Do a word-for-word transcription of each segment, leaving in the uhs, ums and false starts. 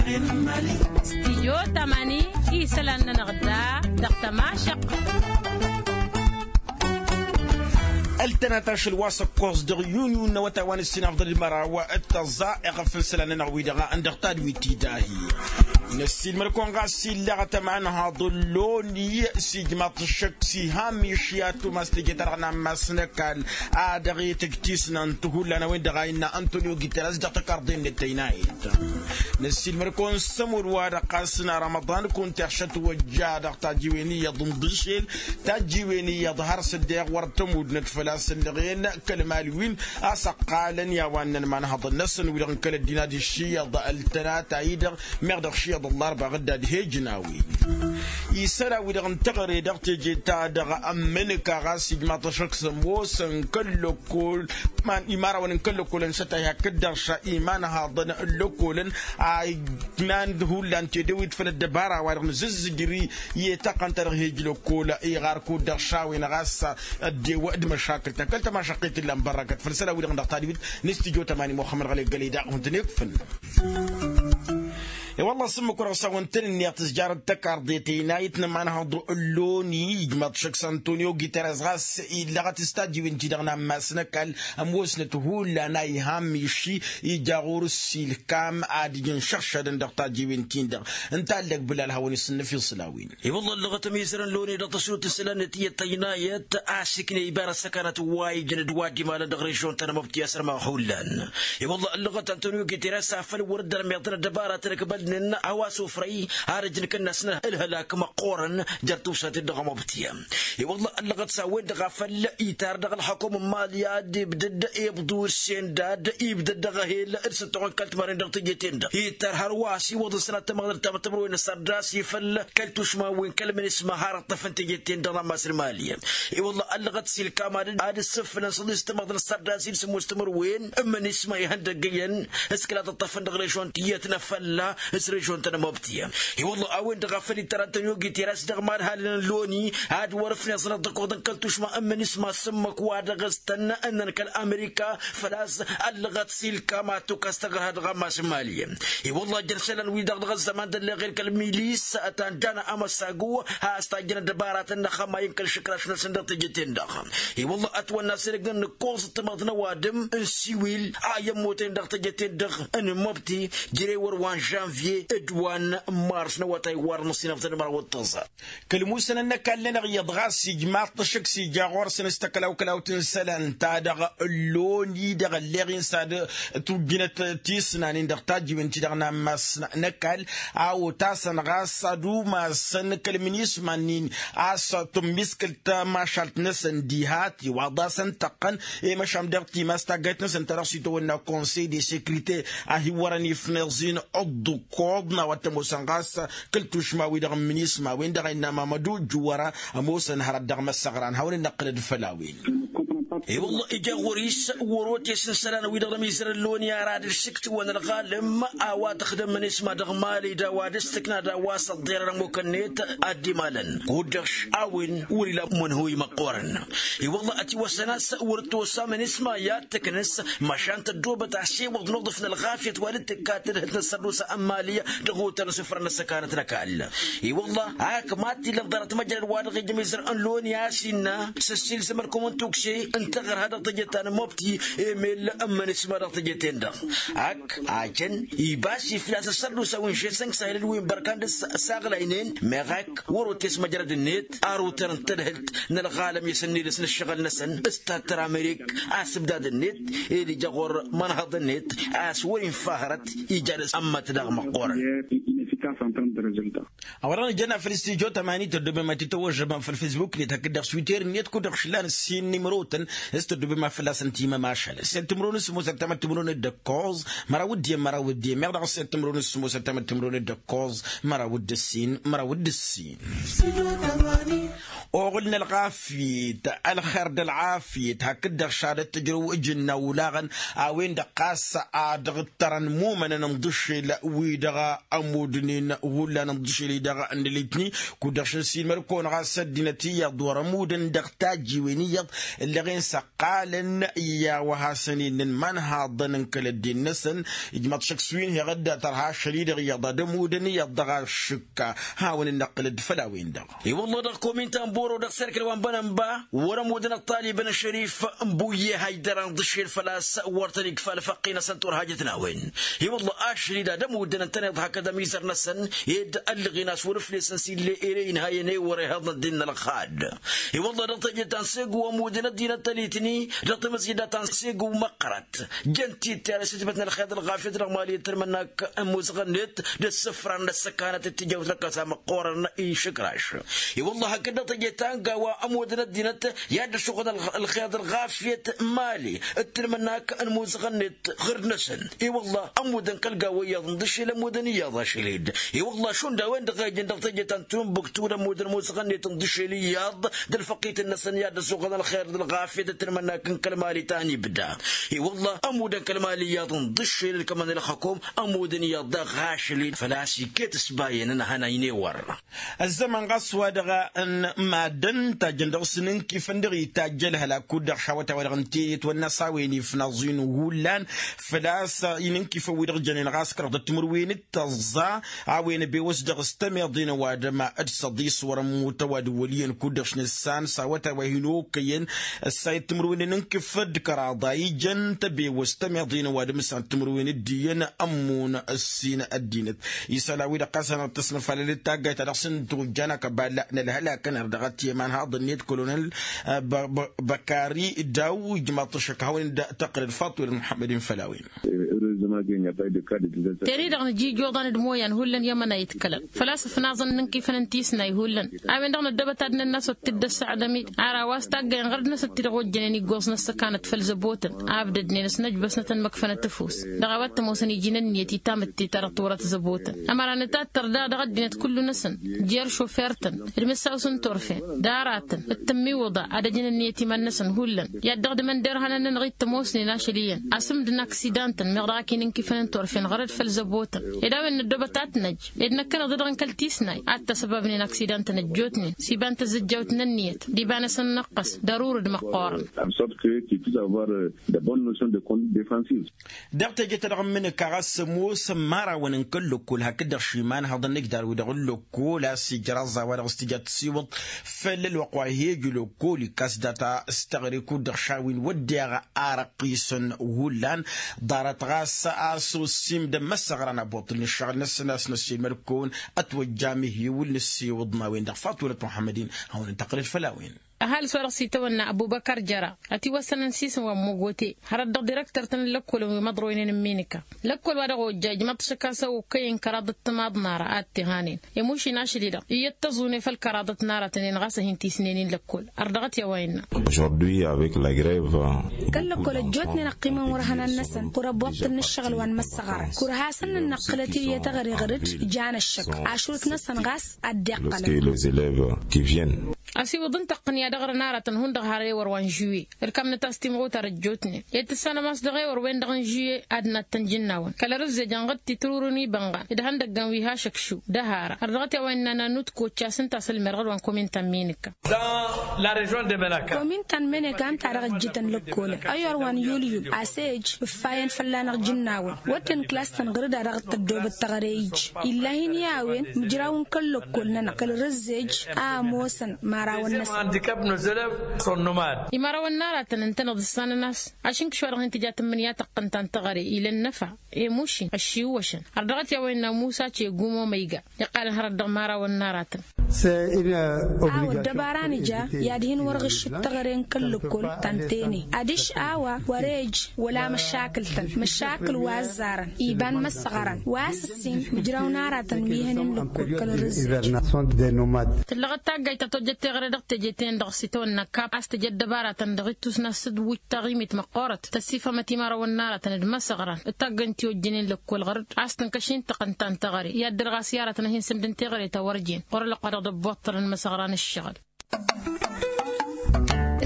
Stijyo tamani isălan-nănăɣ da dăɣ-tămašăq. Ăltănat ašăl wa s-ăkkoẓ dăɣ-yunyu n-awătay wa n-ǝssin afḍăl d-măraw d-tăẓẓa iɣăf n-isălan-nănăɣ-wi-dăɣ n-dăɣ tadwit-i dahi. Năssiilmăr-kăwăn ɣas illăɣăt ămanhăḍ n-loni s-ijmaḍ-t ăššăk s-iha n-miši ad-tumas teje-ta-dăɣ n-ammas n-ăkall a dăɣ-itǝjj tisnan tihullan a-wen-dăɣ a innă antonio guterres dăɣ-tăkarḍe-net tăynayet. Năssiilmăr-kăwăn s-ămud-wa-dăɣ ɣas n-arămăḍan kunta iɣšăt wăjja dăɣ-tajiwen iyyăḍ n-dăšel tajiwen iyyăḍ har s-dd-iɣwăr tămudnăt făl-a-s ǝllăɣen kăl-mali-win a-s ăqqalăn i-a-wa ǝnnăn imanhăḍăn-năsăn wi-dăɣ n-kăl-ăddin ad-iššiyyăḍ ăltănat-a-i-dăɣ meɣ dăɣ-iššiyyăḍ ăllarba ɣǝdda d-hejnawi. Isălan-wi-dăɣ n-teɣăre dăɣ-teje-ta-dăɣ ămmǝnǝka ɣas ijmaḍ-t ăššăk s-ămoosăn kăl-lăkkol iman imărawăn n-kăl-lăkkolăn s-ătay hakd-dăɣ ša imanhaḍăn n-lăkkolăn a ǝjnan d-hullan tedăwit făll-ăddăbara-wa-dăɣ nǝzǝzzǝjri i-taqqăn-ta-dăɣ hej lăkkol iɣar kud-dăɣ ša a-wen ɣas ăddew d-măšakǝl-tăn kăl-tămašăqqit ǝllan bărrăkăt făll-isălan-wi-dăɣ dăɣ-tadwit n-istijjo tămani muxămmăd ɣălek gălăy daɣ hun-tăn-ikfǝn. I-wălla s-ǝmmǝk wăr-ăsawăn-tăn-ǝnniyăɣ tǝzjarăt tăkarḍe tăynayǝt n-ămanhăḍ n-loni ijmaḍ-t šăkk s-antonio guterres ɣas illăɣăt s-tajjiwen-ti-dăɣ n-ammas n-ăkall ămoosnăt hullan a iha n-miši ija ɣur-s ilkam ad-ǝjǝn šăɣšadăn dăɣ-tajjiwen-tin-dăɣ. Ǝnta a ǝllăg bǝlal hawăn-isǝnnǝf isǝlawen. I-wălla ăllăɣăt ămizărăn loni dăɣ-tăsnut n-isălan n-tiyyăt tăynayăt a-s ikna ibara s-ăkanăt wa ijăn d-wa dd-imalăn dăɣ-režion ta n-amăbti a-s ărmăɣ hullan. I-wălla ăllăɣăt antonio guterres afăl wăr-dd-ărmeḍăn ăddăbaratăn ǝkbălnen a-wa s-ofrăy ad-ǝjǝn kănnasnăn ǝlhălak măqqoorăn jer-tawsaten dăɣ-amăbti. I-wălla ăllăɣăt s-a-wen-dăɣ a făl itar dăɣ-ălxăkum n-mali ad-ibdăd ibḍu d-sendad ibdăd dăɣ-ehel d-sǝttoɣăn kăl-timarăn dăɣ-teje-ten-dăɣ ittar hărwa a-s iwwăḍ ǝsnat tamăɣdăr tamăttămrăwen n-sărdas ifăl kăl-tušma-wen kăl-minisma har ǝṭṭăfăn teje-ten-dăɣ n-ammas n-mali. I-wălla ăllăɣăt s-ilkam ad-dd-sǝfnăn s-aḍis tamăɣdăr n-sărdas-i d-sǝmmos timǝrwen n-minisma ihăndăggăyăn s-kăla tǝṭṭăfăn dăɣ-režion tiyyăt n-afălla s-režion ta n-amăbti. I-wălla a-wen-dăɣ a făl ittar antonio guterres dăɣ-imadhalăn n-loni ad-wăr-ǝfneẓ n-ad-dd-ăkkoḍăn kăl-tušma n-minisma s-ǝmmǝk wa dăɣ-s tăn-ǝnnăn kăl-amerika făl-a-s ăllăɣăt s-ilkam ad-tukas tăggrăha dăɣ-ammas n-mali. I-wălla ǝjăn isălan-wi-dăɣ dăɣ-ăzzăman d-ălleɣel kăl-milis ătanjana amăsagu has-tajjăn ăddăbaratăn n-axămay n-kăl-išǝkraš-năsăn dăɣ-teje-ten-dăɣ. I-wălla ătwănna s-edăgg n-ǝkkoẓăt tamăḍt n-ăwadǝm n-siwil a i-ămmoten dăɣ-teje-ten-dăɣ n-măbti jere wăr wa n-žănvye d-wa n-mars n-awătay wa dăɣ-năsinăfḍăn măraw d-tăẓẓa. Kăl-musănăn n-ăkall-nănăɣ iyyăḍ ɣas ijmaḍ-t ăššăk s-ija ɣur-săn s-takălawkălawt n-isălan-ta-dăɣ ălloni dăɣ-ălleɣ-in s-ad-tujjǝnăt tisnanen dăɣ-tajjiwen-ti-dăɣ n-ammas n-ăkall a otasăn ɣas ad-umasăn kăl-minisma-nin a-s tǝmmiskǝl tamašalt-năsăn diha tiwaḍ a-s ǝntăqqăn i-măšan dăɣ-timas taggayt-năsăn ta dăɣ-s itawănna konsey de sekrite a hi-wărăn ifnăẓ-in ǝḍḍǝkkoḍ n-a-wa t-ămoosăn ɣas kăl-tušma-wi-dăɣ n-minisma a-wen-dăɣ a innă mamădu juwăra ămoosăn hărăt dăɣ-măssăɣran hawăn-dd-năqqǝlăd făll-a-wen. I-wălla ija ɣur-i s-wăr-otes n-isălan-wi-dăɣ n-ămizărăn loni ara d-ǝššǝktǝwăn ălɣalăm a-wa tǝxdǝm minisma dăɣ-mali d-a-wa dăɣ-s tǝkna d-a-wa s-ăḍḍerăn ămmuk-net ad-dd-imalăn kud-dăɣ a-wen wăr-ila mănhuy măqqoorăn. I-wălla ătiwăsăn a-s wăr-tosa minisma i-ad-tǝknǝs măšan tăddoobăt a-s iwwăḍ n-uḍǝf n-ălɣafyăt wa dd-tǝkka tadhǝlt n-ăssărdusa n-mali dăɣ-otăr n-isǝfrăn n-ăssăkanăt n-ăkall. I-wălla a ăkmat illa ănḍarăt măjrăd wa dăɣ-ija ămizăr n-loni a-s innă s-ăssiilzăm ărkăwăn tukse n-taɣărha dăɣ-teje ta n-mobti emel n-minisma dăɣ-teje-ten-dăɣ. Ak ajăn ibas iflas ăssărdusa wi n-žesănk s-ahilăl wi n-bărkan dăɣ-s saɣlaynen meɣ ak wăr-otes măjrăd-net arutăr n-tadhǝlt n-ălɣalăm i-sănnilăs n-ǝššăɣǝl-năsăn s-tattăr amerik asǝbdad-net ed ija ɣur-imănhăḍ-net a-s wăr-infa hărăt ija dăɣ-s ămmăt daɣ măqqoorăn. A-wa-dăɣ nǝjănna făll-stijo tămani tăddobem ad-t-tăwwăžžăm făll-fesbuk-net hakd dăɣ-twitter-net kud-dăɣ šlan ǝssin n-imrotăn s-tăddobem ad-fălla-săn timămašalăn s-e-d timǝrwen s-sămoos ăttamăt timǝrwen d-ǝkkoẓ măraw d-iyyăn măraw d-iyyăn meɣ dăɣ-s e-d timǝrwen s-sămoos ăttamăt timǝrwen d-ǝkkoẓ măraw d-ǝssin măraw d-ǝssin. Oɣǝl n-ălɣafyet ălxer d-ălɣafyet hakd-dăɣ šadăt tǝjrǝw ǝjǝnna olaɣăn a-wen-dăɣ ɣas a dăɣ-ǝttărăn imumănăn n-iḍǝššel wi-dăɣ ămudnen hullan n-iḍǝššel-i-dăɣ n-elitni. Kud-dăɣ šăn s-inmăl-kăwăn ɣas ăddinăt iyyăḍ wăr-ămudăn dăɣ-tajjiwen iyyăḍ ǝllăɣen s-ăqqalăn i-a-wa hasăn-innăn imanhaḍăn n-kăl-ăddin-năsăn. Ijmaḍ šăkk s-wi n-heɣ dd-tărha ašăl-i-dăɣ iyyăḍ ad-ămudăn iyyăḍ dăɣ-ašǝkka. Hawăn-in-năqqǝlăd făll-a-wen-dăɣ. I-wălla dăɣ-kominta n-boro dăɣ-serkǝl wa n-bănănba wăr-ămudăn ăṭṭalibăn ăšărif n-buyyeh a ijderăn ḍǝššel făl-a-s wăr tăn-ikfa ălfăqqi-năsăn turhajăt n-a-wen. I-wălla ašăl-i d-ad-ămudăn ǝntăneḍ hakd amizăr-năsăn ed ăllăɣen a-s wăr-ǝflesăn s-ill'-e ere inhayăn ewăr ehăḍ n-ăddin n-ălxad. I-wălla dăɣ-teje ta n-segu ămudăn ăddinăt tălitni dăɣ-tamǝzjăda ta n-segu măqqărăt jăn-t-dd terăs itbăt n-ălxer d-ălɣafyăt dăɣ-mali d-tǝlmănnak n-imuzăɣ-net d-ǝssǝfran n-ăssăkanăt d-tijawt n-ăkkăsa măqqoorăn išǝkraš. I-wălla hakd dăɣ-teje ta n-gawa ămudăn ăddinăt i-ad-dd-ăššuɣǝl ălxer d-ălɣafyăt mali d-tǝlmănnak n-imuzăɣ-net ɣǝrd-năsăn. I-wălla ămudăn kăl-gawa iyyăḍ n-dăššel ămudăn iyyăḍ ašăl-dd. I-wălla šund a-wen-dăɣ a ijăn dăɣ-teje ta n-tunbuktu d-ămudăn imuzăɣ-net n-dăššel iyyăḍ d-ălfăqqităn-năsăn i-ad-dd-ăssuɣăn ălxer d-ălɣafyăt d-tǝlmănnak n-kăl-mali ta n-ibda. I-wălla ămudăn kăl-mali iyyăḍ n-dăššel ǝlkămăn ălxăkom ămudăn iyyăḍ daɣ ašăl-i făl-a-s iket s-bayăn ănhănăynen wăr. Ăzzăman ɣas wa-dăɣ n-maddăn tajjăn dăɣ-s n-inkifăn dăɣ-itajj ălhălak kud-dăɣ šawăt a-wa-dăɣ n-tiyăt wănna s-a-wen ifnaẓ-in hullan făl-a-s inǝnkifăn wi-dăɣ jănen ɣas kăraḍăt timǝrwen d-tăẓẓa a-wen ăbewăs dăɣ-s tămeḍe n-ăwadǝm d-săḍis wăr-ămmut ăwadǝm wăl' iyyăn kud-dăɣ šnǝssan s-awătay wa hin-okăyăn ăssayăt timǝrwen n-inkǝf d-kăraḍa ijăn tăbewăs tămeḍe n-ăwadǝm s-ad-timǝrwen d-iyyăn ămmun ăssin ăddinăt. Isălan-wi-dăɣ ɣas hanăɣ-tăsnăfalălăt taggayt ta dăɣ-s n-tojjan akăbal n-ălhălakăn har dăɣ-t i-imanhaḍ-net kolonel băkari daw ijmaḍ-t ăššăk hawăn-in-tăqqǝlăd faṭulăt muḥămmăd-in făll-a-wen. Teri-dăɣ nǝja ijoḍan d-imoyan hullan i-amăna itkălăn făl-a-s ǝfnaẓăn n-inkifăn n-tisnay hullan. A-wen-dăɣ năddăbăt ad-nănn'-as wăr t-dd-ăssăɣdăm-dd ar a-wa s-taggăyăn ɣărd-năsăn ti-dăɣ ojjănen iggoẓ n-ăssăkanăt făll-zăbotăn abdădnen s-năjbăsnăt ănmăkfănăt ăfuss dăɣ-a-wa t-ămoosăn iji n-ǝnniyăt i-tamǝtte ta dăɣ-turăt zăbotăn. Ămăra nǝtattăr daɣ dăɣ-ăddinăt kullu-năsăn jer-šofer-tăn d-imǝssaw-s n-turfen d-aratăn d-tǝmmiwǝḍa ad-ăjăn ǝnniyăt iman-năsăn hullan i-ad-dăɣ-dd-imănderhăn-nănăɣ-i t-ămoosnen ašăl iyyăn asǝmd n-aksidan-tăn meɣ dăɣ-ak-in-inkifăn n-turfen ɣărăd făll-zăbotăn. Ed a-wen năddobăt ad-t-năj ed năkkăneḍ-dd dăɣ-n kăl-tisnay ad-t-ăsăbabnen aksidan-tăn ăjjootnen s-iba n-tazǝjjawt n-ǝnniyăt d-iba-năsăn n-ăqqăs d-arurǝd măqqoorăn. Dăɣ-teje-ta-dăɣ n-imǝnǝka ɣas ămoosăn imărawăn n-kăl-lăkkol hakd-dăɣ šimanhăḍăn n-ǝjdar-wi-dăɣ n-lăkkol a-s ijraẓ a-wa-dăɣ s-tǝja tǝsiwǝḍ făll-ălwăqq wa hi-ăj lăkkol ikkas data s-teɣăre kud-dăɣ šawin wădden arăqqisăn hullan. Ḍarăt ɣas a-s ossimdăn măssăɣran abuṭṭǝl n-ǝššăɣǝl-năsăn a-s năssiilmăd-kăwăn ătwăjja amihiwǝl nǝssiwǝḍ n-a-wen-dăɣ faṭulăt muḥămmăd-in hawăn-dd-tăqqǝlăd făll-a-wen. Ăhalǝs wa dăɣ-s itawănna ăbubăkar jăra ătiwăssănăn s-isǝm wa n-măgote hărăt dăɣ-direktăr-tăn n-lăkkolăn wi măḍroynen n-minǝka. Lăkkol wa dăɣ-ojja ijmăḍ-t šăkk a-s ăwwăkkăyăn kăraḍăt timaḍ n-ara ad-t-ihanen i-mušin ašăl-i-dăɣ iyyăt tăẓune făll-kăraḍăt n-aratăn-en ɣas a hin-tisnen-in lăkkol. Ărdăɣăt i-a-wa innă. Kăl-lăkkol ăjjootnen ăqqimăn wăr-hănan-năsăn kăwăr-ăbbuṭṭǝl n-ǝššăɣǝl wa n-imăssăɣărăn kăwăr-hasăn-nănnăqqǝlăt i-ăyy tăɣăre ɣăr-dd. Jan ăššăk ašrut-năsăn ɣas ad-dd-iqqălăn. Ăsiwǝḍ n-tăqqǝnǝya dăɣ-răn aratăn hundăɣ har ewăr wa n-žuwe ǝlkamnăt a-s timɣutar ăjjootnen ed tǝssanăm a-s dăɣ-ewăr-wen-dăɣ n-žuwe ad-nattăn jǝnnawăn kăl-ărǝzzej ănɣăt titrurǝn iba n-iɣan d-ihăndăggan wi hašăkšu d-ahara. Ărdăɣăt i-a-wa innă nanut koččas ǝnta a-s ălmerɣăd wa n-kominta n-meneka. Kominta n-meneka ǝnta a dăɣ-ǝjjǝtăn lăkkolăn ăyor wa n-yulyul a-s ej ǝffayăn fălla-năɣ jǝnnawăn wădden klas-tăn ɣǝr-dd a dăɣ-tăddobăt teɣăre ij. Ill'-ahin i-a-wen mǝjrawăn kăl-lăkkol-nănăɣ kăl-rǝzzej a ămoosăn imărawăn-năsăn. Imărawăn n-aratăn ǝntăneḍ ǝssanăn a-s ašǝnkǝš wa dăɣ-hin-tǝja tǝmmǝnǝya tăqqǝnta n-teɣăre ila ănnăfa i-mušin ăššiwwăšăn. Ărrăɣăt i-a-wa innă musa cegu momăyga iqqalăn hărăt dăɣ-imărawăn n-aratăn. A-wa ăddăbara nǝja i-ad-hin-wăr ɣǝššǝt teɣăre n-kăl-lăkkol ta n-tene adiš a-wa wăr-ej wăla măšakǝl-tăn măšakǝl wa ăzzarăn iba n-imăssăɣărăn wa s-ǝssin mǝjraw n-aratăn wi hănen lăkkol kăl-rǝzzej. Tǝllăɣăt taggayt ta tojjăt teɣăre dăɣ-teje-ten-dăɣ s-itawănna kap a-s tǝja ăddăbaratăn dăɣ-ittus n-asǝdwǝj taɣimit măqqoorăt tăssifămăt imărawăn n-aratăn d-imăsăɣran d-taggăyt n-ti ojjănen lăkkol ɣăr-dd a-s tǝnkăš-in tăqqǝnta n-teɣăre i-ad-dăr ɣas i-aratăn a hin-sǝmdǝn teɣăre ta wăr jen ɣur-ălwăqq wa dăɣ-dd-ăbbuṭṭălăn imăsăɣran ǝššăɣǝl.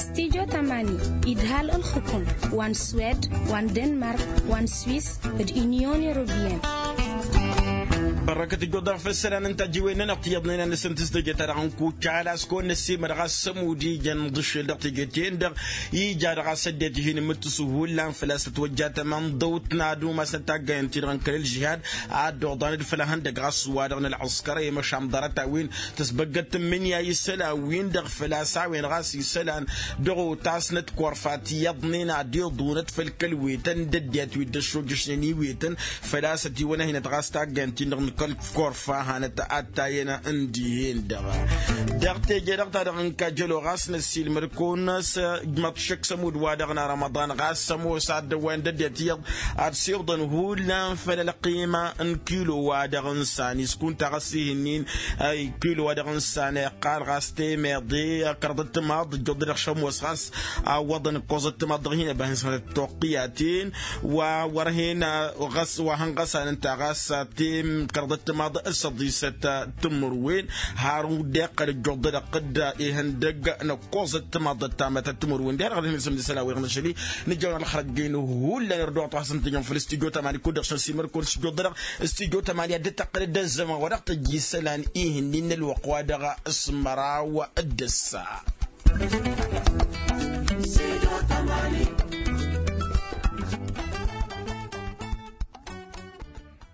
Studyo tamani idhal ǝlxǝkǝm wa n-swed, wa n-denmark, wa n-swis, d-inyon europiyăn. Bărrăkăt ǝjjuḍ-dăɣ făll-isălan n-tajǝwen-nănăɣ tiyyăḍnen a nǝsǝntǝs teje-ta-dăɣ n-kucala a-s kăwăn-năssiimăr ɣas s-ămud ijăn d-aššel dăɣ-teje-ten-dăɣ ija-dăɣ a-s ăddinăt ihin imǝttǝsu hullan făl-a-s tătwăjja tamăndăwt n-ad-umasnăt taggayăn-ti-dăɣ n-kăl-ǝlžihad ad-dd-oḍanăd făll-ehăndăg ɣas wa-dăɣ n-ălɣǝskăr i-măšan ḍarăt-a-wen tăsbăggăt tǝmmǝnǝya isălan-win-dăɣ făl-a-s a-wen ɣas isălan dăɣ-otasnăt korfa tiyyăḍnen ad-iḍunăt făll-kăl-wetăn d-ăddinăt wi dd-ăššojăšnen iwetăn făl-a-s ătiwăn-ăhinăt ɣas taggayăn-tin-dăɣ n-kăl-korfa hanăt ad-tayăn n-dihen-dăɣ. Dăɣ-teje-dăɣ ta dăɣ-nǝkka jălo ɣas năssiilmăd-kăwăn-năs ǝjmăḍ šăkk s-ămudd-wa-dăɣ n-arămăḍan ɣas ămoos ad-dăwwayăn d-ăddinăt iyyăḍ ad-siwḍăn hullan făll-ălqima n-kilo-wa-dăɣ n-sani s-kunta ɣas ih'-ǝnnin kilo-wa-dăɣ n-sani iqqal ɣas temeḍe kăraḍăt timaḍ ǝjjuḍ-dăɣ šămoos ɣas a ǝwwăḍăn ǝkkoẓăt timaḍ dăɣ-hin-ăbahăn s-hănăt toqqǝyaten wa wăr-hin ɣas wa hăn-ɣăsan ǝnta ɣas kăraḍăt timaḍ s-ăḍisăt timǝrwen har deqqăl ǝjjuḍ-dăɣ dd-ihăndăg n-ǝkkoẓăt timaḍ d-ăttamătăt timǝrwen diha-dăɣ dăɣ-hin-isǝm d-isălan-wi-dăɣ n-ašăl-i nǝjjăwăn ălxărăt-jen hullan irduɣăt wa hasăn-tǝjăn făll-studyo tamani kud-dăɣ šăn simăr-kăwăn studyo-dăɣ studyo tamani ad-dd-tăqqǝlăd d-ăzzăman wa dăɣ-tăjj isălan ih'-ǝnnin n-ălwăqq wa dăɣ-s măraw d-ǝssa.